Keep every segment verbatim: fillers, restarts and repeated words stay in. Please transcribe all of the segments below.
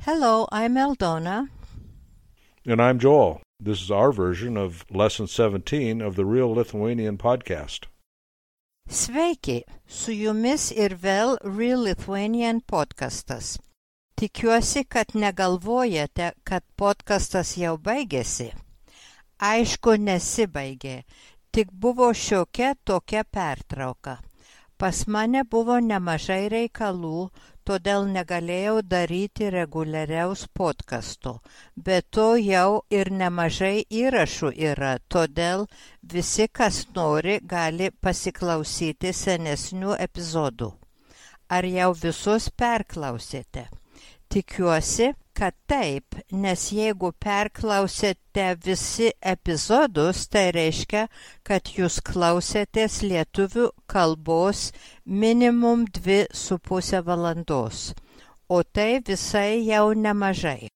Hello, I'm Eldona. And I'm Joel. This is our version of Lesson seventeen of the Real Lithuanian podcast. Sveiki, su jumis ir vėl Real Lithuanian podcastas. Tikiuosi, kad negalvojate, kad podcastas jau baigėsi. Aišku, nesibaigė, tik buvo šiokia tokia pertrauka. Pas mane buvo nemažai reikalų, todėl negalėjau daryti reguliariaus podcasto. Be to jau ir nemažai įrašų yra, todėl visi, kas nori, gali pasiklausyti senesnių epizodų. Ar jau visus perklausėte? Tikiuosi, kad taip, nes jeigu perklausėte visi epizodus, tai reiškia, kad jūs klausėtės lietuvių kalbos minimum dvi su pusę valandos, o tai visai jau nemažai.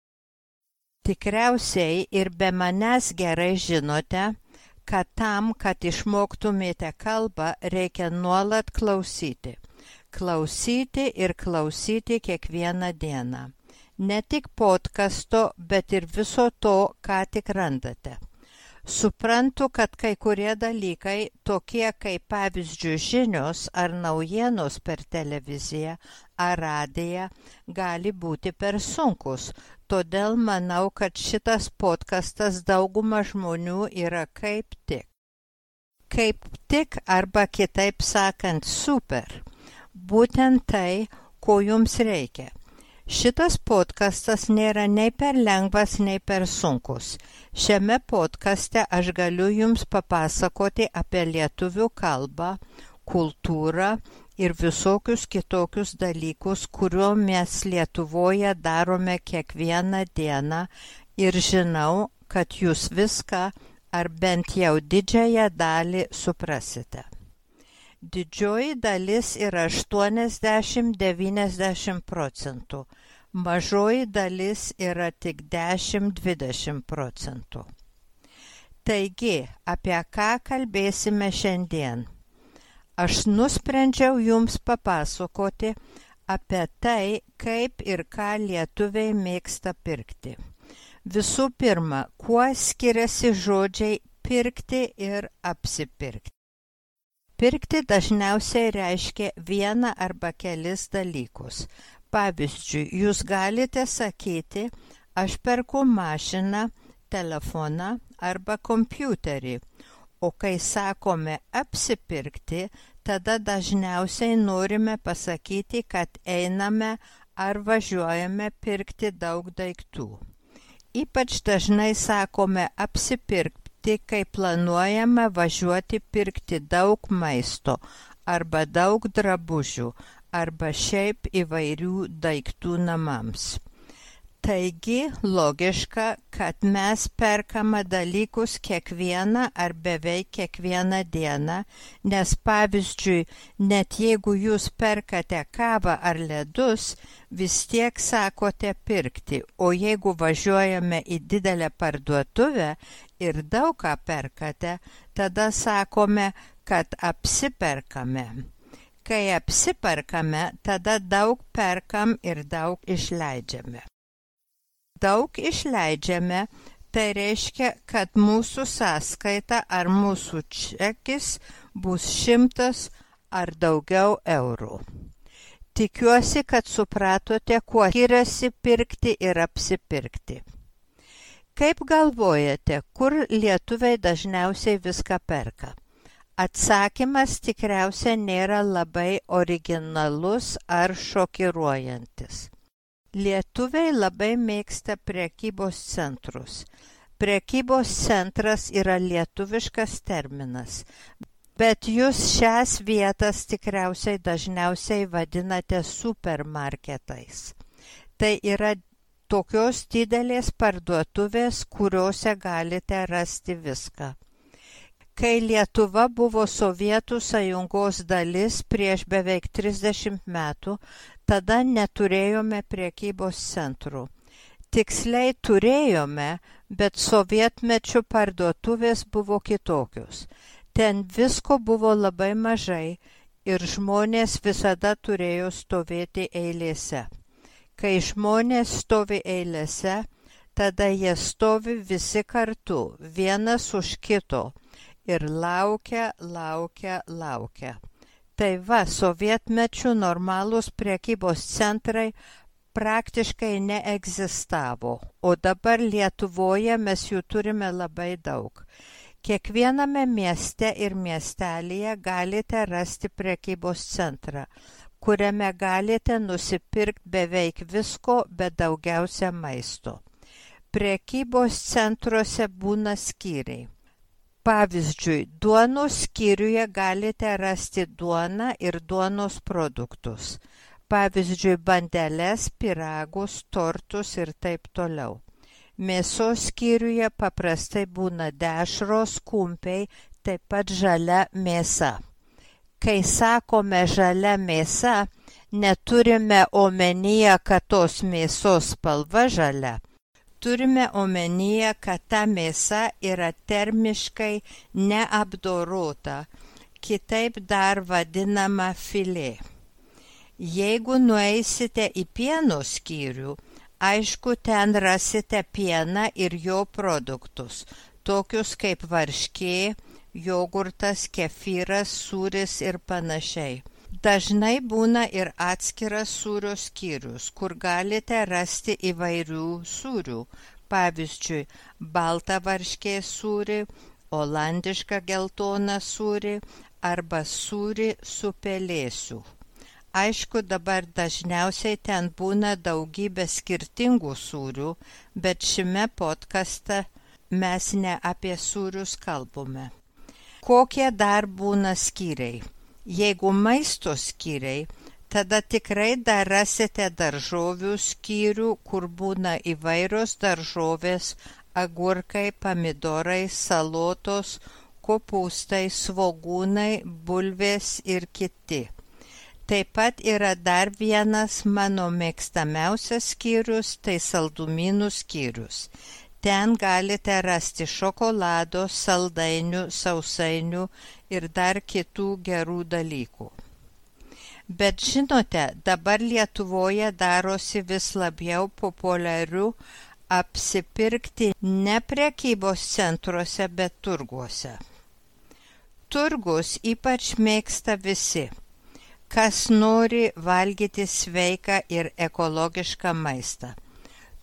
Tikriausiai ir be manęs gerai žinote, kad tam, kad išmoktumėte kalbą, reikia nuolat klausyti. Klausyti ir klausyti kiekvieną dieną. Ne tik podcasto, bet ir viso to, ką tik randate. Suprantu, kad kai kurie dalykai, tokie kaip pavyzdžiui žinios ar naujienos per televiziją ar radiją, gali būti per sunkus. Todėl manau, kad šitas podcastas dauguma žmonių yra kaip tik. Kaip tik arba kitaip sakant super. Būtent tai, ko jums reikia. Šitas podcastas nėra nei per lengvas, nei per sunkus. Šiame podcaste aš galiu jums papasakoti apie lietuvių kalbą, kultūrą ir visokius kitokius dalykus, kuriuo mes Lietuvoje darome kiekvieną dieną ir žinau, kad jūs viską ar bent jau didžiąją dalį suprasite. Didžioji dalis yra aštuoniasdešimt iki devyniasdešimt procentų, mažoji dalis yra tik dešimt iki dvidešimt procentų. Taigi, apie ką kalbėsime šiandien? Aš nusprendžiau jums papasakoti apie tai, kaip ir ką lietuviai mėgsta pirkti. Visų pirma, kuo skiriasi žodžiai pirkti ir apsipirkti. Pirkti dažniausiai reiškia vieną arba kelis dalykus. Pavyzdžiui, jūs galite sakyti, aš perku mašiną, telefoną arba kompiuterį, o kai sakome apsipirkti, tada dažniausiai norime pasakyti, kad einame ar važiuojame pirkti daug daiktų. Ypač dažnai sakome apsipirkti, kai planuojame važiuoti pirkti daug maisto arba daug drabužių arba šiaip įvairių daiktų namams. Taigi logiška, kad mes perkame dalykus kiekvieną ar beveik kiekvieną dieną, nes pavyzdžiui, net jeigu jūs perkate kavą ar ledus, vis tiek sakote pirkti, o jeigu važiuojame į didelę parduotuvę ir daug ką perkate, tada sakome, kad apsiperkame. Kai apsiperkame, tada daug perkam ir daug išleidžiame. Daug išleidžiame, tai reiškia, kad mūsų sąskaita ar mūsų čekis bus šimtas ar daugiau eurų. Tikiuosi, kad supratote, kuo skiriasi pirkti ir apsipirkti. Kaip galvojate, kur lietuviai dažniausiai viską perka? Atsakymas tikriausiai nėra labai originalus ar šokiruojantis. Lietuviai labai mėgsta prekybos centrus. Prekybos centras yra lietuviškas terminas, bet jūs šias vietas tikriausiai dažniausiai vadinate supermarketais. Tai yra tokios didelės parduotuvės, kuriuose galite rasti viską. Kai Lietuva buvo Sovietų sąjungos dalis prieš beveik trisdešimt metų, tada neturėjome prekybos centrų. Tiksliai turėjome, bet sovietmečių parduotuvės buvo kitokios. Ten visko buvo labai mažai ir žmonės visada turėjo stovėti eilėse. Kai žmonės stovi eilėse, tada jie stovi visi kartu, vienas už kito ir laukia, laukia, laukia. Tai va, sovietmečių normalūs prekybos centrai praktiškai neegzistavo, o dabar Lietuvoje mes jų turime labai daug. Kiekviename mieste ir miestelyje galite rasti prekybos centrą, kuriame galite nusipirkti beveik visko, bet daugiausia maisto. Prekybos centruose būna skyriai. Pavyzdžiui, duonos skyriuje galite rasti duoną ir duonos produktus. Pavyzdžiui, bandeles, pyragus, tortus ir taip toliau. Mėsos skyriuje paprastai būna dešros, kumpiai, taip pat žalia mėsa. Kai sakome žalia mėsa, neturime omenyje, kad tos mėsos spalva žalia. Turime omenyje, kad ta mėsa yra termiškai neapdorota, kitaip dar vadinama filė. Jeigu nueisite į pieno skyrių, aišku, ten rasite pieną ir jo produktus, tokius kaip varškė, jogurtas, kefyras, sūris ir panašiai. Dažnai būna ir atskiras sūrio skyrius, kur galite rasti įvairių sūrių, pavyzdžiui, baltą varškės sūrį, olandišką geltoną sūrį arba sūrį su pelėsiu. Aišku, dabar dažniausiai ten būna daugybė skirtingų sūrių, bet šiame podcaste mes ne apie sūrius kalbame. Kokie dar būna skyriai? Jeigu maisto skyriai, tada tikrai dar rasite daržovių skyrių, kur būna įvairios daržovės, agurkai, pomidorai, salotos, kopūstai, svogūnai, bulvės ir kiti. Taip pat yra dar vienas mano mėgstamiausias skyrius, tai saldumynų skyrius. Ten galite rasti šokolado, saldainių, sausainių ir dar kitų gerų dalykų. Bet žinote, dabar Lietuvoje darosi vis labiau populiariu apsipirkti ne prekybos centruose, bet turguose. Turgus ypač mėgsta visi, kas nori valgyti sveiką ir ekologišką maistą.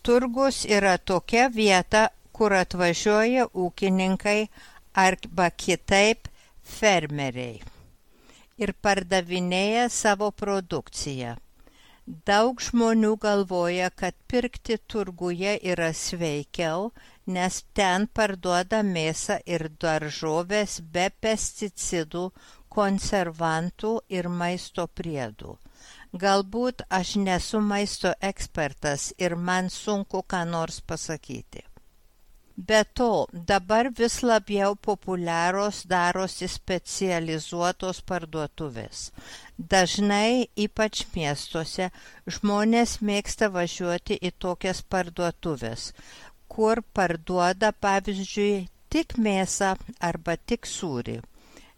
Turgus yra tokia vieta, kur atvažiuoja ūkininkai arba kitaip fermeriai ir pardavinėja savo produkciją. Daug žmonių galvoja, kad pirkti turguje yra sveikiau, nes ten parduoda mėsą ir daržovės be pesticidų, konservantų ir maisto priedų. Galbūt aš nesu maisto ekspertas ir man sunku ką nors pasakyti. Be to, dabar vis labiau populiarios darosi specializuotos parduotuvės. Dažnai, ypač miestuose, žmonės mėgsta važiuoti į tokias parduotuvės, kur parduoda, pavyzdžiui, tik mėsą arba tik sūrį.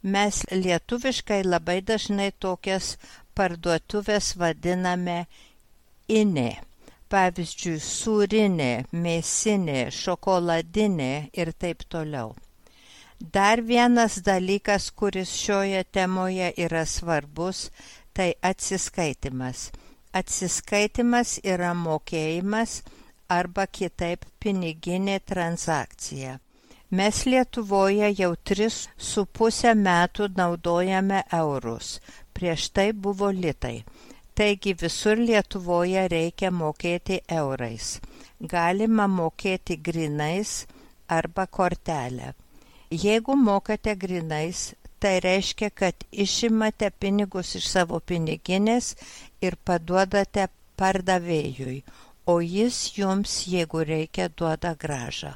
Mes lietuviškai labai dažnai tokias parduotuvės vadiname inė. Pavyzdžiui, sūrinė, mėsinė, šokoladinė ir taip toliau. Dar vienas dalykas, kuris šioje temoje yra svarbus, tai atsiskaitimas. Atsiskaitimas yra mokėjimas arba kitaip piniginė transakcija. Mes Lietuvoje jau tris su pusę metų naudojame eurus, prieš tai buvo litai. Taigi visur Lietuvoje reikia mokėti eurais. Galima mokėti grynais arba kortelę. Jeigu mokate grynais, tai reiškia, kad išimate pinigus iš savo piniginės ir paduodate pardavėjui, o jis jums, jeigu reikia, duoda grąžą.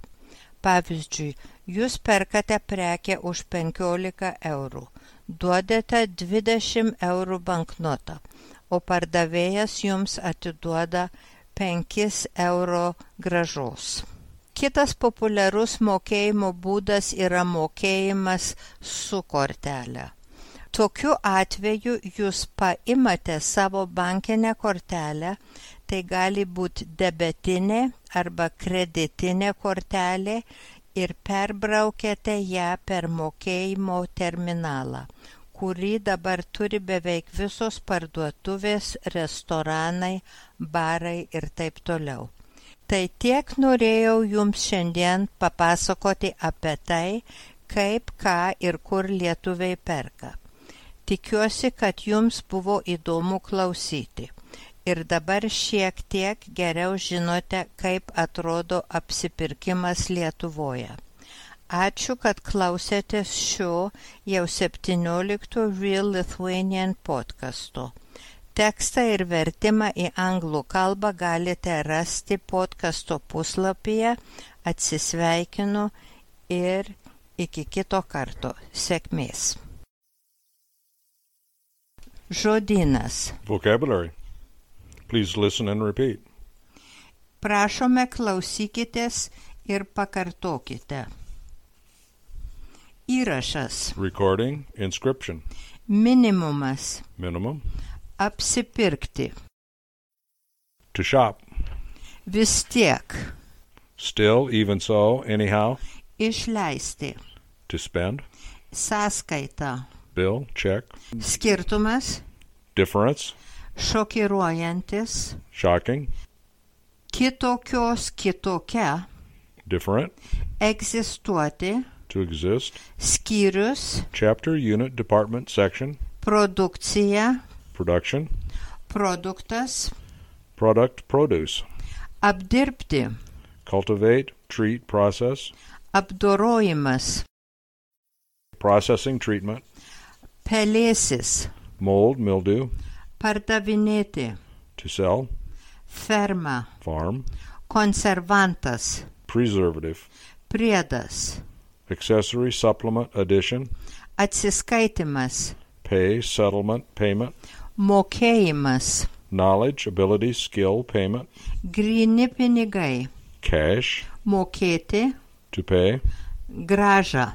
Pavyzdžiui, jūs perkate prekę už penkiolika eurų, duodate dvidešimt eurų banknotą, o pardavėjas jums atiduoda penkis euro grąžos. Kitas populiarus mokėjimo būdas yra mokėjimas su kortelė. Tokiu atveju jūs paimate savo bankinę kortelę, tai gali būti debetinė arba kreditinė kortelė ir perbraukėte ją per mokėjimo terminalą, kurį dabar turi beveik visos parduotuvės, restoranai, barai ir taip toliau. Tai tiek norėjau jums šiandien papasakoti apie tai, kaip, ką ir kur lietuviai perka. Tikiuosi, kad jums buvo įdomu klausyti. Ir dabar šiek tiek geriau žinote, kaip atrodo apsipirkimas Lietuvoje. Ačiū, kad klausėtės šio jau septyniolikto Real Lithuanian podcasto. Tekstą ir vertimą į anglų kalbą galite rasti podcasto puslapyje. Atsisveikinu ir iki kito karto. Sėkmės. Žodynas. Vocabulary. Please listen and repeat. Prašome, klausykitės ir pakartokite. Įrašas. Recording, inscription. Minimumas. Minimum. Apsipirkti. To shop. Vis tiek. Still, even so, anyhow. Išleisti. To spend. Sąskaita. Bill, check. Skirtumas. Difference. Šokiruojantis. Shocking. Kitokios, kitokia. Different. Egzistuoti. To exist. Skyrius. Chapter, unit, department, section. Produkcija. Production. Produktas. Product, produce. Apdirbti. Cultivate, treat, process. Apdorojimas. Processing, treatment. Pelėsis. Mold, mildew. Pardavinėti. To sell. Ferma. Farm. Konservantas. Preservative. Priedas. Accessory, supplement, addition. Atsiskaitimas. Pay, settlement, payment. Mokėjimas. Knowledge, ability, skill, payment. Gryni pinigai. Cash. Mokėti. To pay. Grąža.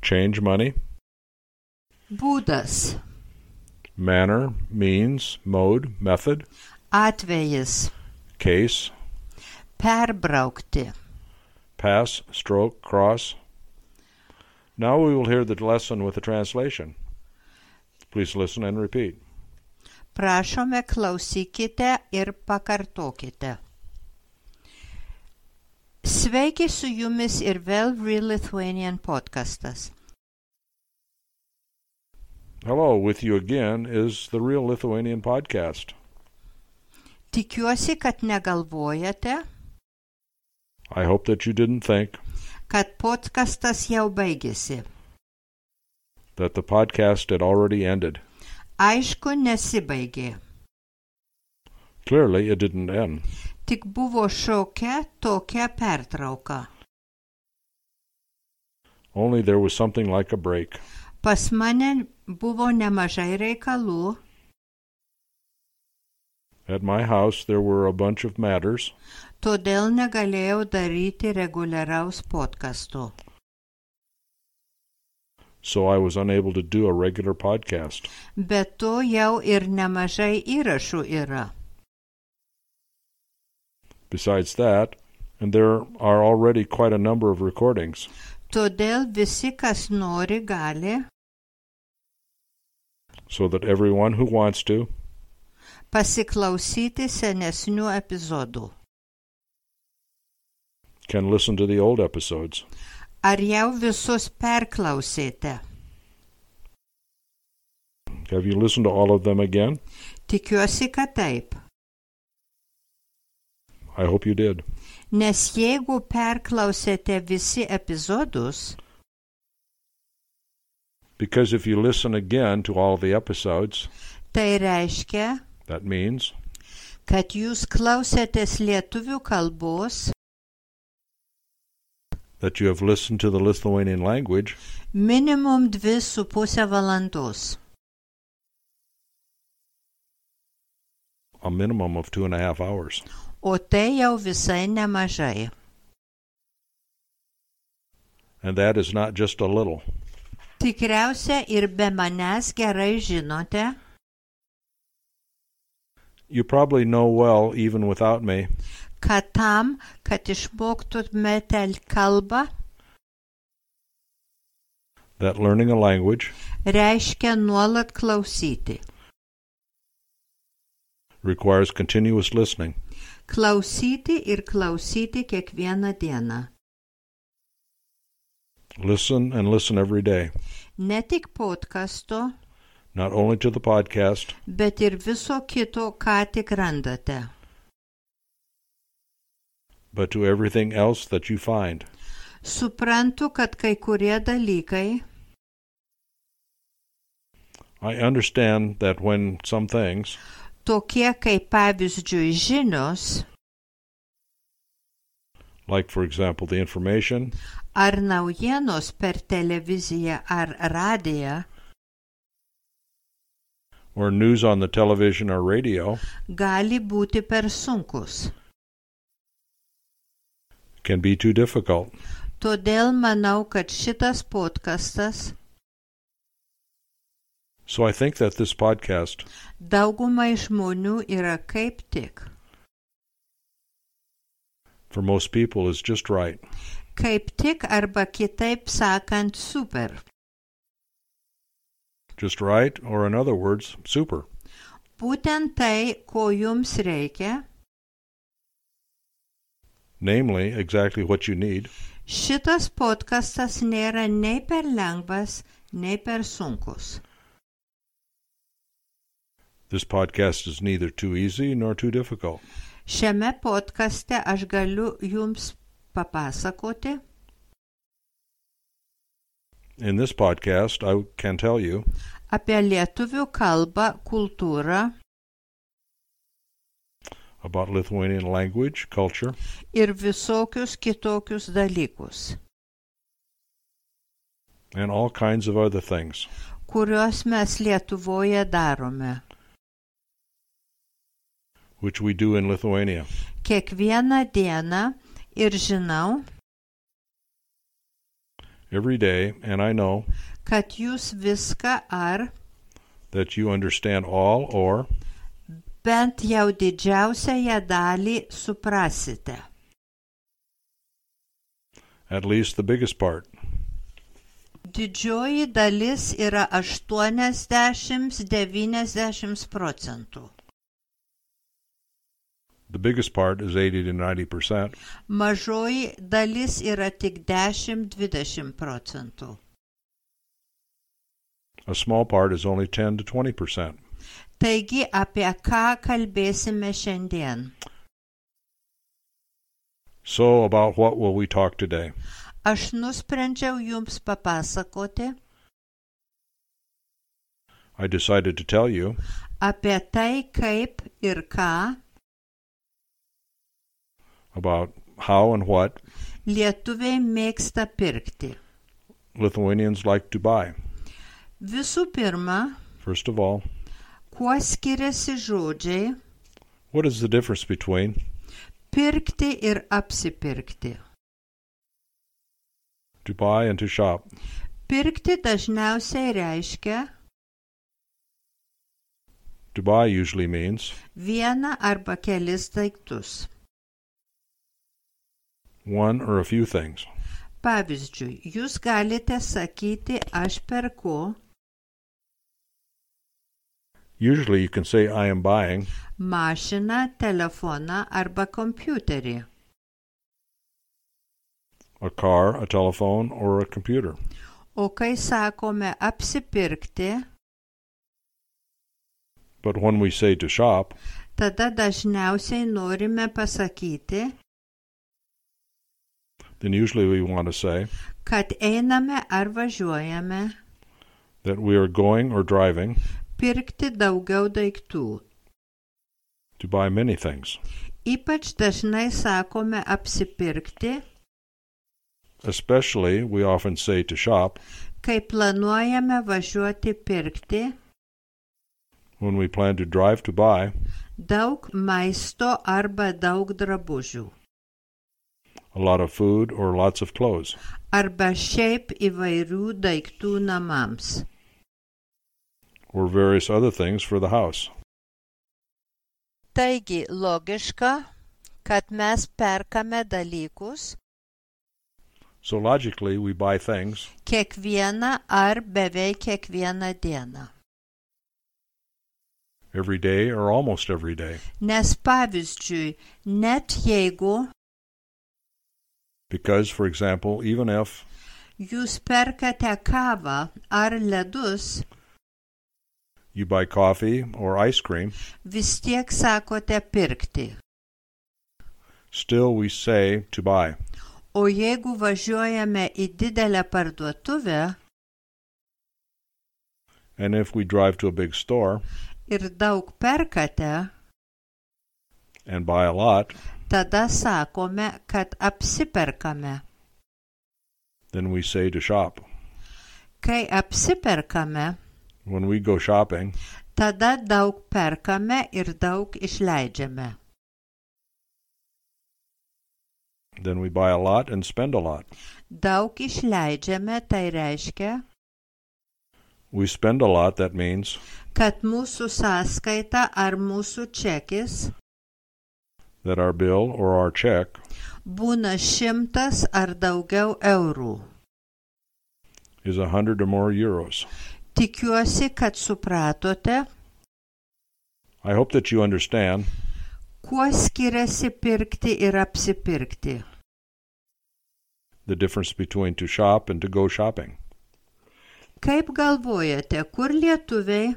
Change money. Būdas. Manner, means, mode, method. Atvejis. Case. Perbraukti. Pass, stroke, cross. Now we will hear the lesson with the translation. Please listen and repeat. Prašome, klausykite ir pakartokite. Sveiki su jumis ir vėl Real Lithuanian podcastas. Hello, with you again is the Real Lithuanian podcast. Tikiuosi, kad negalvojate, I hope that you didn't think kad podcastas jau baigėsi. that the podcast had already ended. Aišku, nesibaigė. Clearly, it didn't end. Tik buvo šiokia tokia pertrauka. Only there was something like a break. Pas mane buvo nemažai reikalų. At my house, there were a bunch of matters, Todėl negalėjau daryti reguliaraus podcasto. so I was unable to do a regular podcast. Be to jau ir nemažai įrašų yra. Besides that, and there are already quite a number of recordings, Todėl visi, kas nori, gali so that everyone who wants to pasiklausyti senesnių epizodų. can listen to the old episodes. Ar jau visus perklausėte? Have you listened to all of them again? Tikiuosi, kad taip. I hope you did. Nes jeigu perklausėte visi epizodus, Because if you listen again to all the episodes, tai reiškia, that means kad jūs klausėtės lietuvių kalbos that you have listened to the Lithuanian language minimum dvi su pusę valandos. a minimum of two and a half hours. O tai jau visai nemažai. And that is not just a little. Tikriausia ir be manęs gerai žinote, you probably know well even without me, kad tam, kad išmoktumėte kalbą, that learning a language reiškia nuolat klausyti. requires continuous listening. Klausyti ir klausyti kiekvieną dieną. Listen and listen every day, Ne tik podcasto, not only to the podcast, bet ir viso kito, ką tik randate. but to everything else that you find. Suprantu, kad kai kurie dalykai, I understand that when some things, tokie kaip pavyzdžiui žinios, like for example the information ar naujienos per televiziją ar radiją, or news on the television or radio, gali būti per sunkus. can be too difficult. Todėl manau, kad šitas podcastas So I think that this podcast daugumai žmonių yra kaip tik. for most people is just right. Kaip tik arba kitaip sakant super. Just right, or in other words, super. Būtent tai, ko jums reikia, Namely, exactly what you need. šitas podcastas nėra nei per lengvas, nei per sunkus. This podcast is neither too easy nor too difficult. Šiame podcaste aš galiu jums papasakoti, In this podcast, I can tell you apie lietuvių kalbą, kultūrą about Lithuanian language, culture, ir visokius kitokius dalykus, and all kinds of other things. kuriuos mes Lietuvoje darome. which we do in Lithuania. Kiekvieną dieną ir žinau, Every day, and I know kad jūs viską ar that you understand all or bent jau didžiausiąją dalį suprasite. at least the biggest part. Didžioji dalis yra aštuoniasdešimt devyniasdešimt procentų. The biggest part is eighty to ninety percent. Mažoji dalis yra tik dešimt dvidešimt procentų. A small part is only ten to twenty percent. Taigi apie ką kalbėsime šiandien? So about what will we talk today? Aš nusprendžiau jums papasakoti I decided to tell you apie tai, kaip ir ką about how and what lietuviai mėgsta pirkti. Lithuanians like to buy. Visų pirma, First of all, kuo skiriasi žodžiai what is the difference between pirkti ir apsipirkti? to buy and to shop? Pirkti dažniausiai reiškia To buy usually means vieną arba kelis daiktus. one or a few things. Pavyzdžiui, jūs galite sakyti, aš perku Usually you can say I am buying mašiną, telefoną arba kompiuterį. a car, a telephone, or a computer. O kai sakome apsipirkti, But when we say to shop, tada dažniausiai norime pasakyti, then usually we want to say kad einame ar važiuojame that we are going or driving pirkti daugiau daiktų. to buy many things. Ypač dažnai sakome apsipirkti, Especially, we often say to shop kai planuojame važiuoti pirkti when we plan to drive to buy daug maisto arba daug drabužių. a lot of food, or lots of clothes. Arba šiaip įvairių daiktų namams. Or various other things for the house. Taigi logiška, kad mes perkame dalykus So logically, we buy things kiekvieną ar beveik kiekvieną dieną. every day or almost every day. Nes pavyzdžiui, net jeigu Because, for example, even if jūs perkate kavą ar ledus, you buy coffee or ice cream, vis tiek sakote pirkti. still we say to buy. O jeigu važiuojame į didelę parduotuvę And if we drive to a big store ir daug perkate, and buy a lot, tada sakome, kad apsiperkame. then we say to shop. Kai apsiperkame, When we go shopping, tada daug perkame ir daug išleidžiame. then we buy a lot and spend a lot. Daug išleidžiame, tai reiškia, We spend a lot, that means kad mūsų sąskaita ar mūsų čekis that our bill or our check būna šimtas ar daugiau eurų. is a hundred or more euros. Tikiuosi, kad supratote, I hope that you understand kuo skiriasi pirkti ir apsipirkti. the difference between to shop and to go shopping. Kaip galvojate, kur lietuviai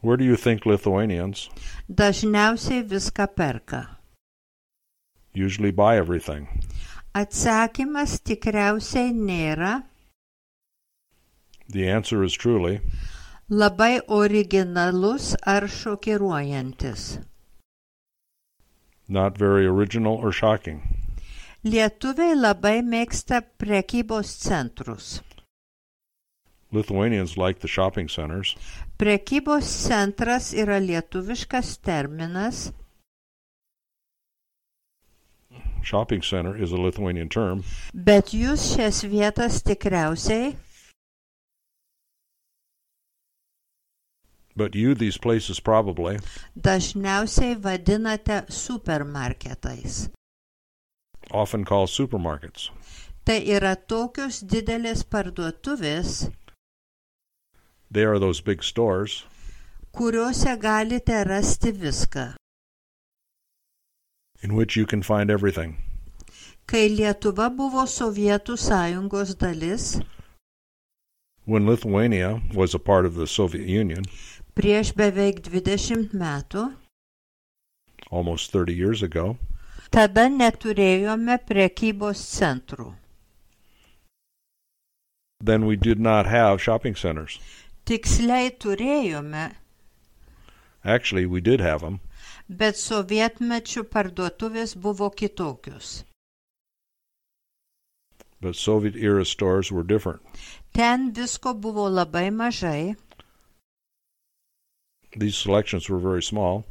Where do you think Lithuanians dažniausiai viską perka? usually buy everything? Atsakymas tikriausiai nėra The answer is truly labai originalus ar šokiruojantis. not very original or shocking. Lietuviai labai mėgsta prekybos centrus. Lithuanians like the shopping centers. Prekybos centras yra lietuviškas terminas, Shopping center is a Lithuanian term, bet jūs šias vietas tikriausiai but you these places probably dažniausiai vadinate supermarketais. often call supermarkets. Tai yra tokios didelės parduotuvės, They are those big stores kuriuose galite rasti viską. in which you can find everything. Kai Lietuva buvo Sovietų sąjungos dalis, When Lithuania was a part of the Soviet Union prieš beveik dvidešimt metų, almost thirty years ago, tada neturėjome prekybos centrų. then we did not have shopping centers. Tiksliai turėjome, Actually, we did have them, bet sovietmečių parduotuvės buvo kitokios. but Soviet-era stores were different. Ten visko buvo labai mažai These selections were very small,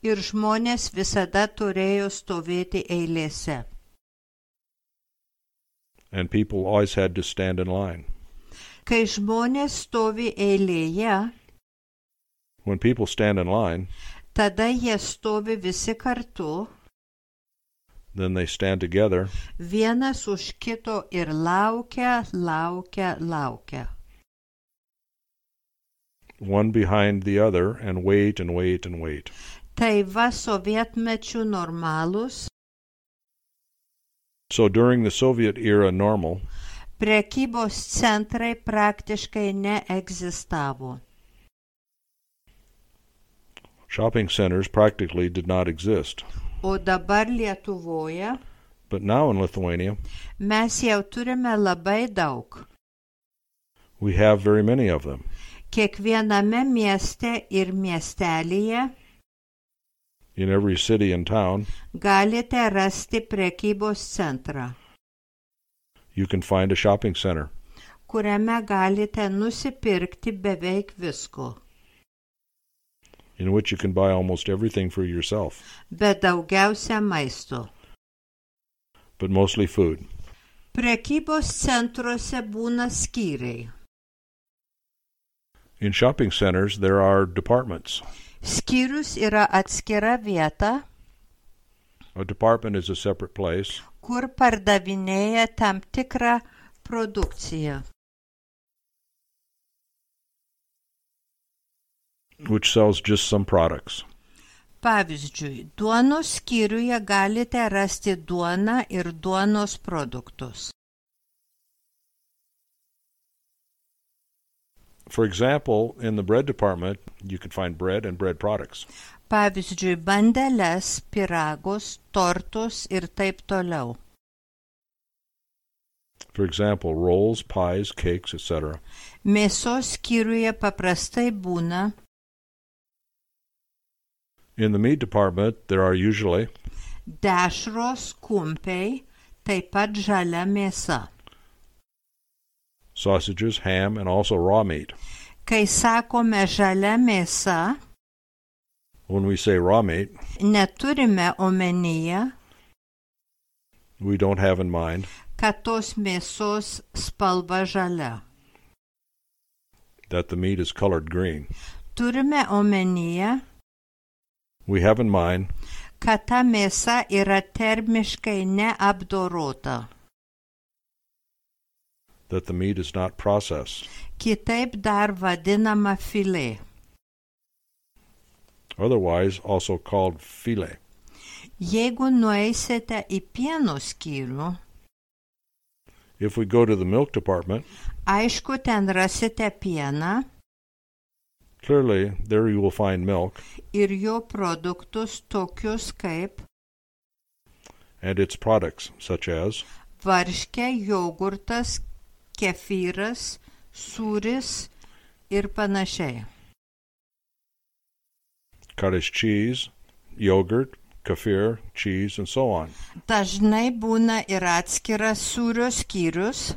ir žmonės visada turėjo stovėti eilėse. and people always had to stand in line. Kai žmonės stovi eilėje, When people stand in line, tada jie stovi visi kartu, then they stand together, vienas už kito ir laukia, laukia, laukia. one behind the other, and wait and wait and wait. Tai va sovietmečių normalūs, So during the Soviet era normal, prekybos centrai praktiškai neegzistavo. shopping centers practically did not exist. O dabar Lietuvoje But now in Lithuania, mes jau turime labai daug. we have very many of them. Kiekviename mieste ir miestelyje In every city and town, galite rasti prekybos centrą, you can find a shopping center kuriame galite nusipirkti beveik visko, in which you can buy almost everything for yourself, bet daugiausia maisto. but mostly food. Prekybos centruose būna skyriai. In shopping centers, there are departments. Skyrius yra atskira vieta, A department is a separate place, kur pardavinėja tam tikrą produkciją, which sells just some products. Pavyzdžiui, duonos skyriuje galite rasti duoną ir duonos produktus. For example, in the bread department, you can find bread and bread products. Pavyzdžiui, bandeles, pyragus, tortus ir taip toliau. For example, rolls, pies, cakes, et cetera. Mėsos skyriuje paprastai būna In the meat department, there are usually dešros, kumpiai, taip pat žalia mėsa. sausages, ham, and also raw meat. Kai sakome žalia mėsa, When we say raw meat, neturime omenyje, we don't have in mind kad tos mėsos spalva žalia. that the meat is colored green. Turime omenyje, We have in mind kad ta mėsa yra termiškai neapdorota. that the meat is not processed. Kitaip dar vadinama filė. Otherwise also called filet. Jeigu nueisite į pieno skyrių, If we go to the milk department, aišku, ten rasite pieną clearly there you will find milk ir jo produktus tokius kaip and its products such as varškė, jogurtas, kefyras, sūris ir panašiai. cottage cheese, yogurt, kefir, cheese, and so on. Dažnai būna ir atskiras sūrio skyrius,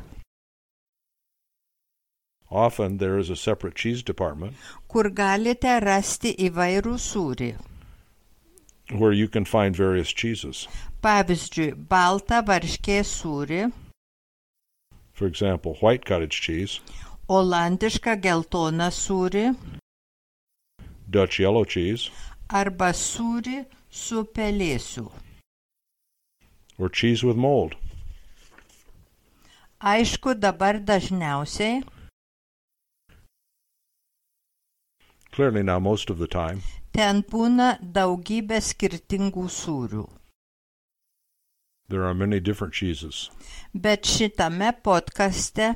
Often there is a separate cheese department kur galite rasti įvairų sūrį. where you can find various cheeses. Pavyzdžiui, baltą varškės sūrį, For example, white cottage cheese, olandišką geltoną sūrį Dutch yellow cheese, arba sūrį su pelėsiu. or cheese with mold. Aišku, dabar dažniausiai Clearly now most of the time ten būna daugybė skirtingų sūrių. there are many different cheeses. Bet šitame podcaste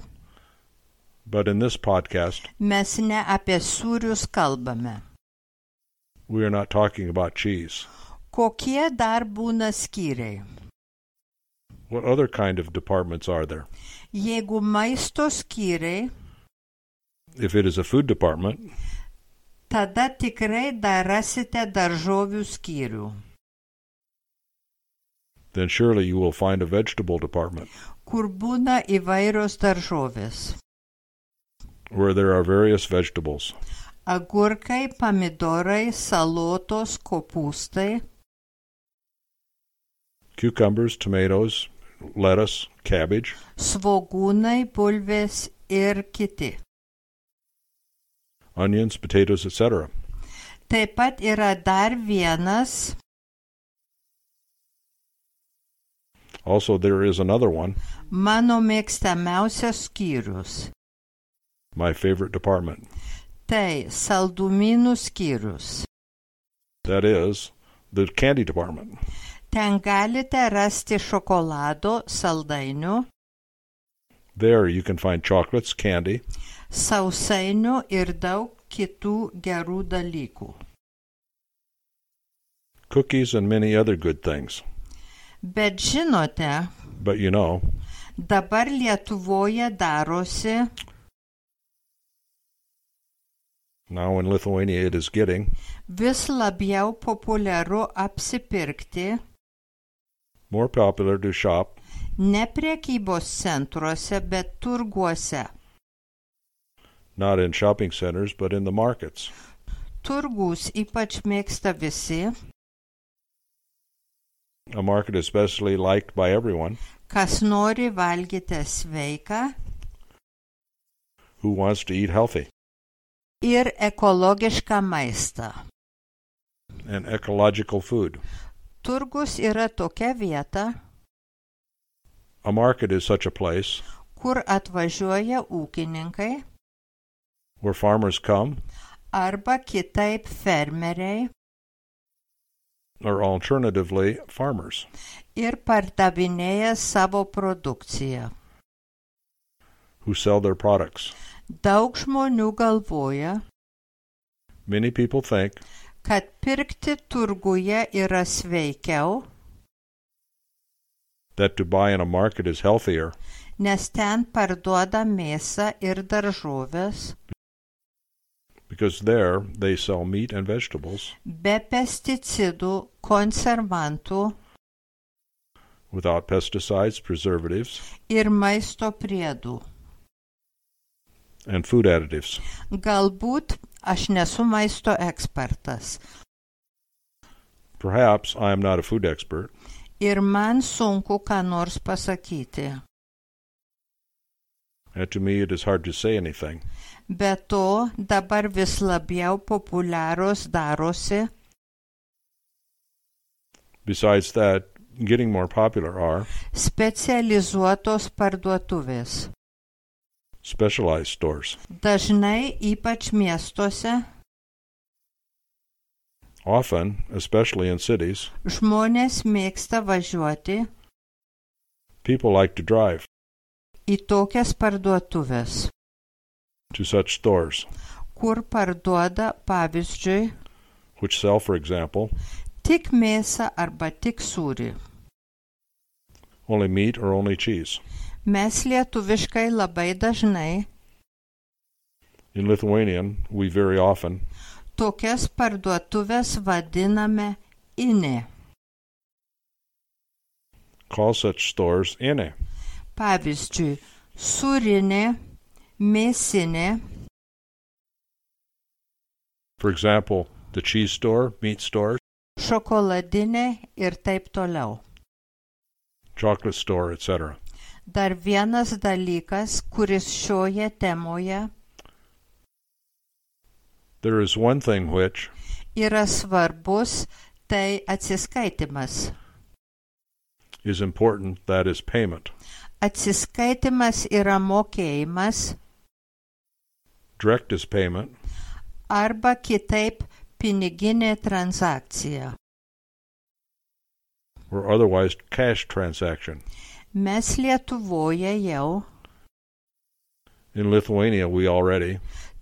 But in this podcast, mes ne apie sūrius kalbame. we are not talking about cheese. Kokie dar būna skyriai? What other kind of departments are there? Jeigu maisto skyriai, If it is a food department, tada tikrai dar rasite daržovių skyrių, then surely you will find a vegetable department kur būna įvairios daržovės. where there are various vegetables. Agurkai, pomidorai, salotos, kopūstai, Cucumbers, tomatoes, lettuce, cabbage, svogūnai, bulvės ir kiti. onions, potatoes, et cetera. Taip pat yra dar vienas, Also, there is another one, mano mėgstamiausias skyrius. my favorite department. Tai saldumynų skyrius. That is the candy department. Ten galite rasti šokolado, saldainių, There you can find chocolates, candy, sausainių ir daug kitų gerų dalykų. cookies, and many other good things. Bet žinote, But you know, dabar Lietuvoje darosi, now in Lithuania it is getting vis labiau populiaru apsipirkti more popular to shop ne prekybos centruose, bet turguose. not in shopping centers but in the markets. Turgus ypač mėgsta visi, a market especially liked by everyone kas nori valgyti sveiką who wants to eat healthy ir ekologišką maistą. and ecological food. Turgus yra tokia vieta, A market is such a place kur atvažiuoja ūkininkai where farmers come, arba kitaip fermeriai or alternatively farmers, ir pardavinėja savo produkciją. who sell their products. Daug žmonių galvoja, Many people think kad pirkti turguje yra sveikiau, that to buy in a market is healthier nes ten parduoda mėsą ir daržovės because there they sell meat and vegetables be pesticidų, konservantų without pesticides, preservatives, ir maisto priedų. and food additives. Galbūt aš nesu maisto ekspertas Perhaps I am not a food expert, ir man sunku ką nors pasakyti. and to me it is hard to say anything. Be to, dabar vis labiau populiarios darosi Besides that, getting more popular are specializuotos parduotuvės. specialized stores. Dažnai, ypač miestuose, Often, especially in cities, žmonės mėgsta važiuoti people like to drive į tokias parduotuvės, to such stores, kur parduoda, pavyzdžiui, which sell, for example, tik mėsą arba tik sūrį. only meat or only cheese. Mes lietuviškai labai dažnai In Lithuanian, we very often tokias parduotuvės vadiname inė. call such stores ine. Pavyzdžiui, sūrinė, mėsinė, For example, the cheese store, meat store, šokoladinė ir taip toliau. chocolate store, et cetera. Dar vienas dalykas, kuris šioje temoje There is one thing which yra svarbus, tai atsiskaitimas. is important, that is payment. Atsiskaitimas yra mokėjimas Direct is payment, arba kitaip piniginė transakcija. or otherwise cash transaction. Mes Lietuvoje jau In Lithuania, we already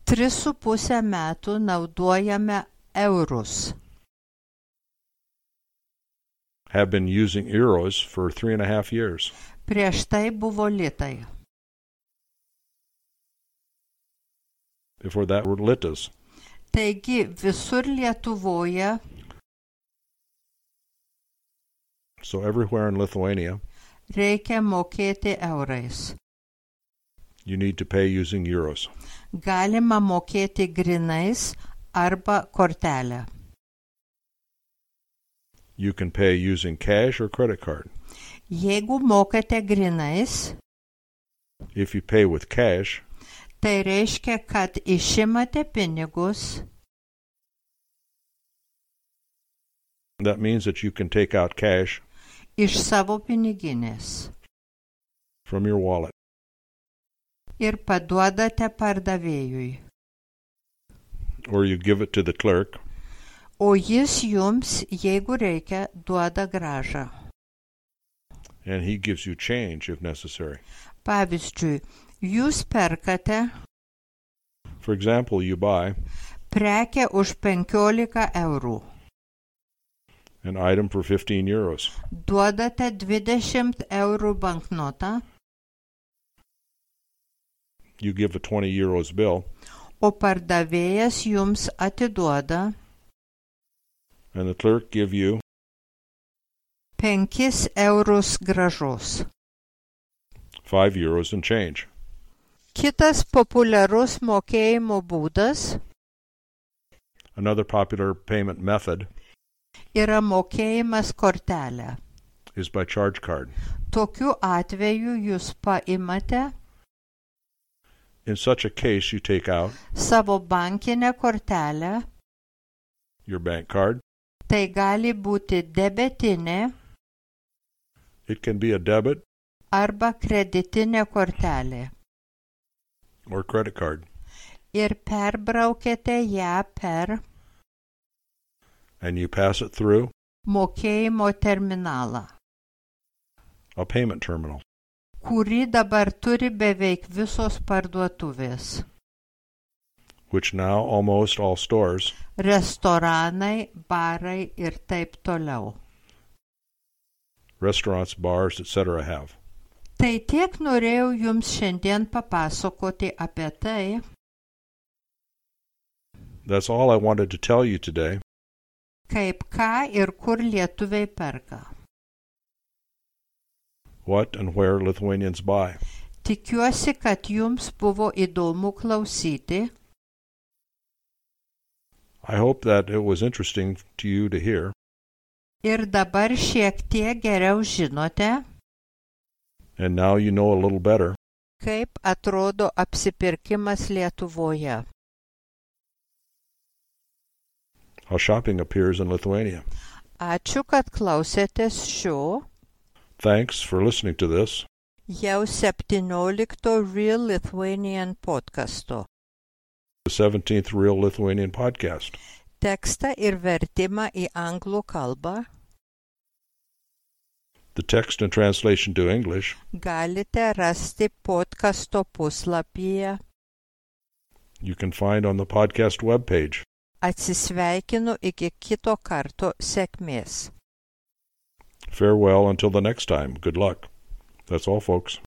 tris su pusę metų naudojame eurus. have been using euros for three and a half years. Prieš tai buvo litai. Before that were litas. Taigi visur Lietuvoje So everywhere in Lithuania, reikia mokėti eurais. you need to pay using euros. Galima mokėti grinais arba kortelę. You can pay using cash or credit card. Jeigu mokate grinais, If you pay with cash, tai reiškia, kad išimate pinigus that means that you can take out cash iš savo piniginės from your wallet ir paduodate pardavėjui, or you give it to the clerk o jis jums, jeigu reikia, duoda grąžą. and he gives you change if necessary. Pavyzdžiui, jūs perkate For example, you buy prekę už penkiolika eurų, an item for fifteen euros. duodate dvidešimt eurų banknotą, You give a twenty euros bill o pardavėjas jums atiduoda and the clerk give you penkis eurus grąžos. five euros and change. Kitas populiarus mokėjimo būdas Another popular payment method yra mokėjimas kortelę. is by charge card. Tokiu atveju jūs paimate In such a case, you take out savo bankinę kortelę, your bank card. tai gali būti debetinė It can be a debit arba kreditinė kortelė. or credit card, Ir perbraukėte ją per and you pass it through mokėjimo terminalą, a payment terminal, kurį dabar turi beveik visos parduotuvės. which now almost all stores, Restoranai, barai ir taip toliau. restaurants, bars, et cetera have. Tai tiek norėjau jums šiandien papasakoti apie tai, That's all I wanted to tell you today. kaip ką ir kur lietuviai perka. What and where Lithuanians buy. Tikiuosi, kad jums buvo įdomu klausyti. I hope that it was interesting to you to hear. Ir dabar šiek tiek geriau žinote, And now you know a little better kaip atrodo apsipirkimas Lietuvoje. how shopping appears in Lithuania. Ačiū, kad klausėtės šio Thanks for listening to this, jau septyniolikto Real Lithuanian podcasto. the seventeenth Real Lithuanian podcast. Tekstą ir vertimą į anglų kalbą The text and translation to English galite rasti podcasto puslapyje. you can find on the podcast webpage. Atsisveikinu iki kito karto, sėkmės. Farewell until the next time. Good luck. That's all, folks.